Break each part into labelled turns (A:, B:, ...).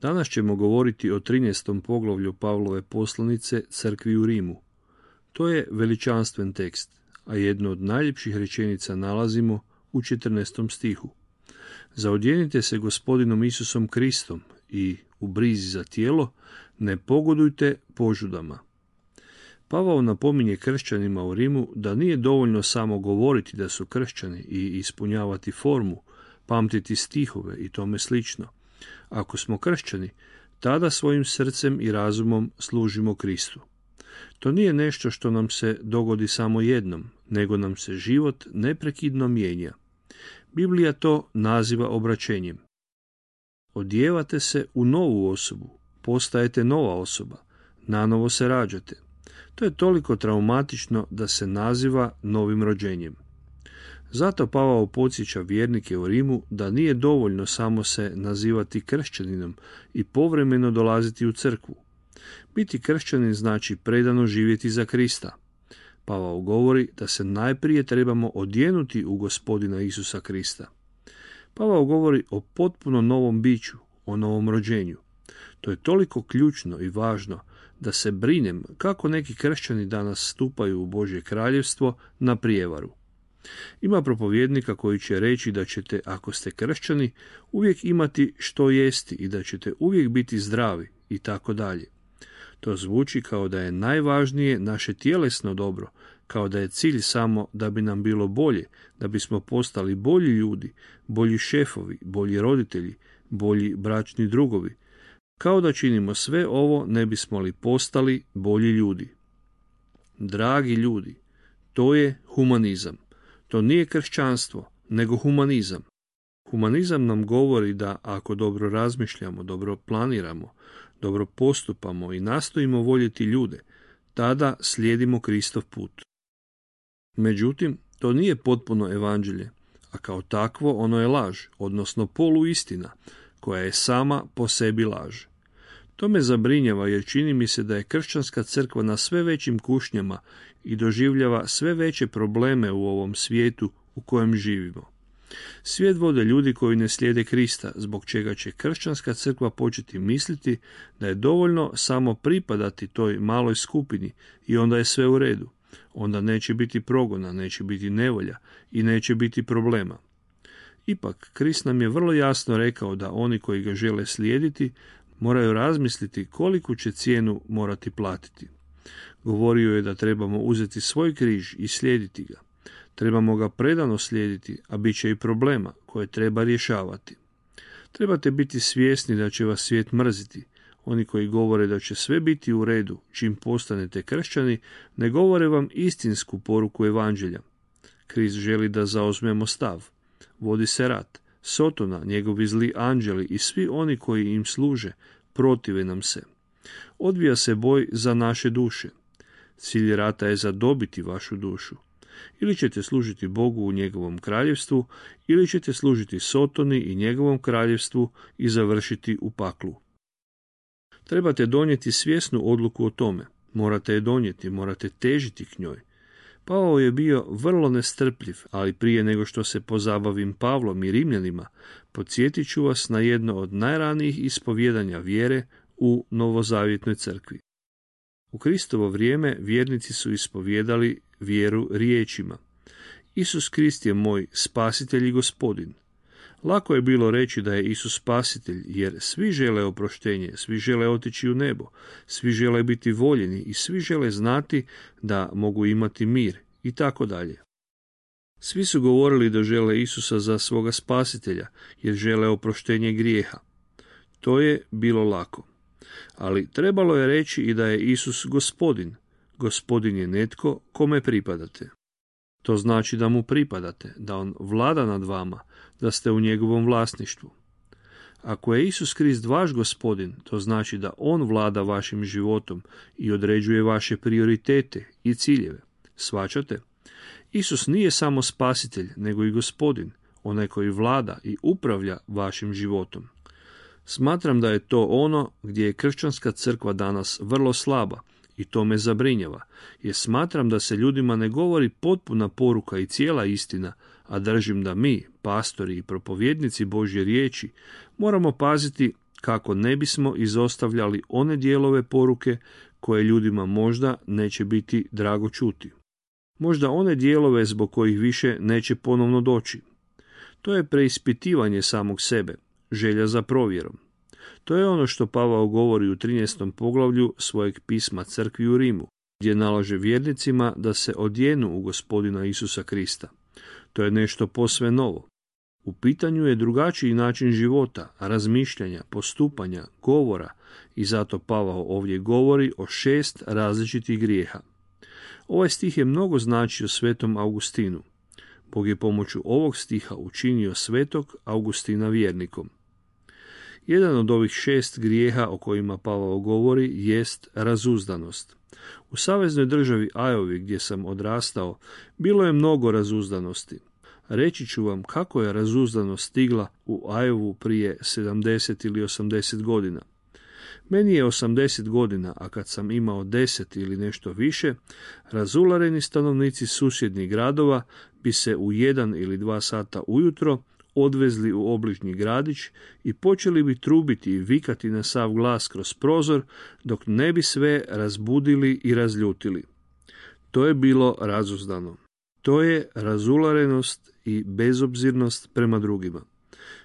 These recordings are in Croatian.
A: Danas ćemo govoriti o 13. poglavlju Pavlove poslanice crkvi u Rimu. To je veličanstven tekst, a jednu od najljepših rečenica nalazimo u 14. stihu. Zaodjenite se Gospodinom Isusom Kristom i u brizi za tijelo ne pogodujte požudama. Pavao napominje kršćanima u Rimu da nije dovoljno samo govoriti da su kršćani i ispunjavati formu, pamtiti stihove i tome slično. Ako smo kršćani, tada svojim srcem i razumom služimo Kristu. To nije nešto što nam se dogodi samo jednom, nego nam se život neprekidno mijenja. Biblija to naziva obraćenjem. Odijevate se u novu osobu, postajete nova osoba, nanovo se rađate. To je toliko traumatično da se naziva novim rođenjem. Zato Pavao podsjeća vjernike u Rimu da nije dovoljno samo se nazivati kršćaninom i povremeno dolaziti u crkvu. Biti kršćanin znači predano živjeti za Krista. Pavao govori da se najprije trebamo odjenuti u Gospodina Isusa Krista. Pavao govori o potpuno novom biću, o novom rođenju. To je toliko ključno i važno da se brinem kako neki kršćani danas stupaju u Božje kraljevstvo na prijevaru. Ima propovjednika koji će reći da ćete, ako ste kršćani, uvijek imati što jesti i da ćete uvijek biti zdravi i tako dalje. To zvuči kao da je najvažnije naše tjelesno dobro, kao da je cilj samo da bi nam bilo bolje, da bismo postali bolji ljudi, bolji šefovi, bolji roditelji, bolji bračni drugovi. Kao da činimo sve ovo ne bismo li postali bolji ljudi. Dragi ljudi, to je humanizam. To nije kršćanstvo, nego humanizam. Humanizam nam govori da ako dobro razmišljamo, dobro planiramo, dobro postupamo i nastojimo voljeti ljude, tada slijedimo Kristov put. Međutim, to nije potpuno evanđelje, a kao takvo ono je laž, odnosno poluistina, koja je sama po sebi laž. To me zabrinjava jer čini mi se da je kršćanska crkva na sve većim kušnjama i doživljava sve veće probleme u ovom svijetu u kojem živimo. Svijet vode ljudi koji ne slijede Krista, zbog čega će kršćanska crkva početi misliti da je dovoljno samo pripadati toj maloj skupini i onda je sve u redu. Onda neće biti progona, neće biti nevolja i neće biti problema. Ipak, Krist nam je vrlo jasno rekao da oni koji ga žele slijediti moraju razmisliti koliku će cijenu morati platiti. Govorio je da trebamo uzeti svoj križ i slijediti ga. Trebamo ga predano slijediti, a bit će i problema koje treba rješavati. Trebate biti svjesni da će vas svijet mrziti. Oni koji govore da će sve biti u redu čim postanete kršćani, ne govore vam istinsku poruku evanđelja. Krist želi da zauzmemo stav. Vodi se rat. Sotona, njegovi zli anđeli i svi oni koji im služe protive nam se. Odvija se boj za naše duše. Cilj rata je zadobiti vašu dušu. Ili ćete služiti Bogu u njegovom kraljevstvu, ili ćete služiti Sotoni i njegovom kraljevstvu i završiti u paklu. Trebate donijeti svjesnu odluku o tome. Morate je donijeti, morate težiti k njoj. Pavao je bio vrlo nestrpljiv, ali prije nego što se pozabavim Pavlom i Rimljanima, podsjetit ću vas na jedno od najranijih ispovjedanja vjere u novozavjetnoj crkvi. U Kristovo vrijeme vjernici su ispovjedali vjeru riječima: Isus Krist je moj spasitelj i gospodin. Lako je bilo reći da je Isus spasitelj, jer svi žele oproštenje, svi žele otići u nebo, svi žele biti voljeni i svi žele znati da mogu imati mir i tako dalje. Svi su govorili da žele Isusa za svoga spasitelja, jer žele oproštenje grijeha. To je bilo lako. Ali trebalo je reći i da je Isus gospodin. Gospodin je netko kome pripadate. To znači da mu pripadate, da on vlada nad vama, da ste u njegovom vlasništvu. Ako je Isus Krist vaš gospodin, to znači da on vlada vašim životom i određuje vaše prioritete i ciljeve. Shvaćate? Isus nije samo spasitelj, nego i gospodin, onaj koji vlada i upravlja vašim životom. Smatram da je to ono gdje je kršćanska crkva danas vrlo slaba i to me zabrinjava, jer smatram da se ljudima ne govori potpuna poruka i cijela istina, a držim da mi, pastori i propovjednici Božje riječi, moramo paziti kako ne bismo izostavljali one dijelove poruke koje ljudima možda neće biti drago čuti. Možda one dijelove zbog kojih više neće ponovno doći. To je preispitivanje samog sebe, želja za provjerom. To je ono što Pavao govori u 13. poglavlju svojeg pisma crkvi u Rimu, gdje nalaže vjernicima da se odjenu u Gospodina Isusa Krista. To je nešto posve novo. U pitanju je drugačiji način života, razmišljanja, postupanja, govora i zato Pavao ovdje govori o 6 različitih grijeha. Ovaj stih je mnogo značio svetom Augustinu. Bog je pomoću ovog stiha učinio svetog Augustina vjernikom. Jedan od ovih 6 grijeha o kojima Pavao govori jest razuzdanost. U saveznoj državi Iowa gdje sam odrastao bilo je mnogo razuzdanosti. Reći ću vam kako je razuzdanost stigla u Iowa prije 70 ili 80 godina. Meni je 80 godina, a kad sam imao 10 ili nešto više, razulareni stanovnici susjednih gradova bi se u 1 ili 2 sata ujutro odvezli u obližnji gradić i počeli bi trubiti i vikati na sav glas kroz prozor dok ne bi sve razbudili i razljutili. To je bilo razuzdano. To je razularenost i bezobzirnost prema drugima.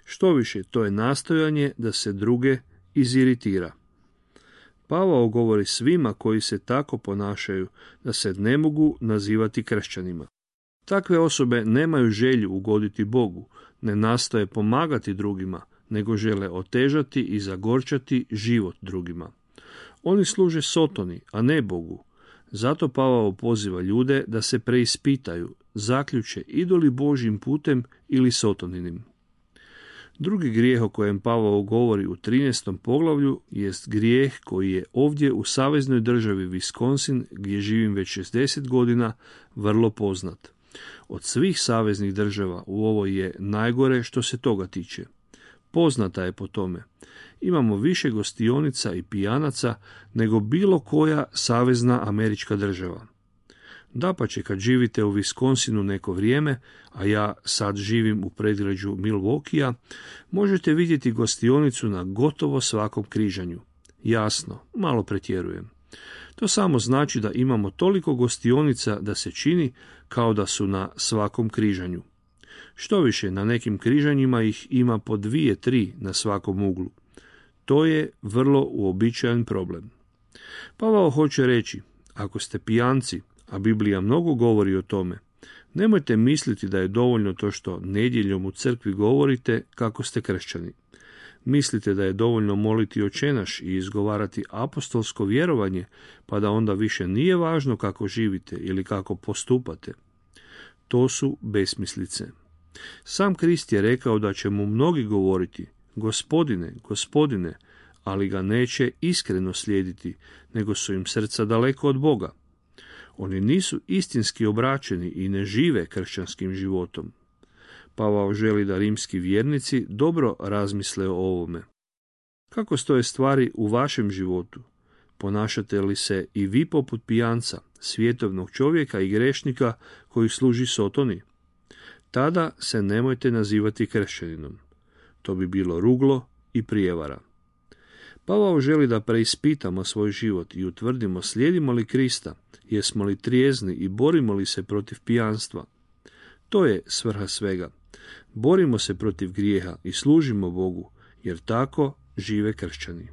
A: Štoviše, to je nastojanje da se druge iziritira. Pavao govori svima koji se tako ponašaju da se ne mogu nazivati kršćanima. Takve osobe nemaju želju ugoditi Bogu, ne nastoje pomagati drugima, nego žele otežati i zagorčati život drugima. Oni služe Sotoni, a ne Bogu. Zato Pavao poziva ljude da se preispitaju, zaključe idu li Božjim putem ili Sotoninim. Drugi grijeh o kojem Pavao govori u 13. poglavlju jest grijeh koji je ovdje u saveznoj državi Wisconsin, gdje živim već 60 godina, vrlo poznat. Od svih saveznih država u ovoj je najgore što se toga tiče. Poznata je po tome. Imamo više gostionica i pijanaca nego bilo koja savezna američka država. Dapače, kad živite u Wisconsinu neko vrijeme, a ja sad živim u predgrađu Milwaukeea, možete vidjeti gostionicu na gotovo svakom križanju. Jasno, malo pretjerujem. To samo znači da imamo toliko gostionica da se čini kao da su na svakom križanju. Štoviše, na nekim križanjima ih ima po 2-3 na svakom uglu. To je vrlo uobičajen problem. Pavao hoće reći, ako ste pijanci, a Biblija mnogo govori o tome, nemojte misliti da je dovoljno to što nedjeljom u crkvi govorite kako ste kršćani. Mislite da je dovoljno moliti očenaš i izgovarati apostolsko vjerovanje, pa da onda više nije važno kako živite ili kako postupate. To su besmislice. Sam Krist je rekao da će mu mnogi govoriti, Gospodine, Gospodine, ali ga neće iskreno slijediti, nego su im srca daleko od Boga. Oni nisu istinski obraćeni i ne žive kršćanskim životom. Pavao želi da rimski vjernici dobro razmisle o ovome. Kako stoje stvari u vašem životu? Ponašate li se i vi poput pijanca, svjetovnog čovjeka i grešnika koji služi Sotoni? Tada se nemojte nazivati kršćaninom. To bi bilo ruglo i prijevara. Pavao želi da preispitamo svoj život i utvrdimo slijedimo li Krista, jesmo li trijezni i borimo li se protiv pijanstva. To je svrha svega. Borimo se protiv grijeha i služimo Bogu, jer tako žive kršćani.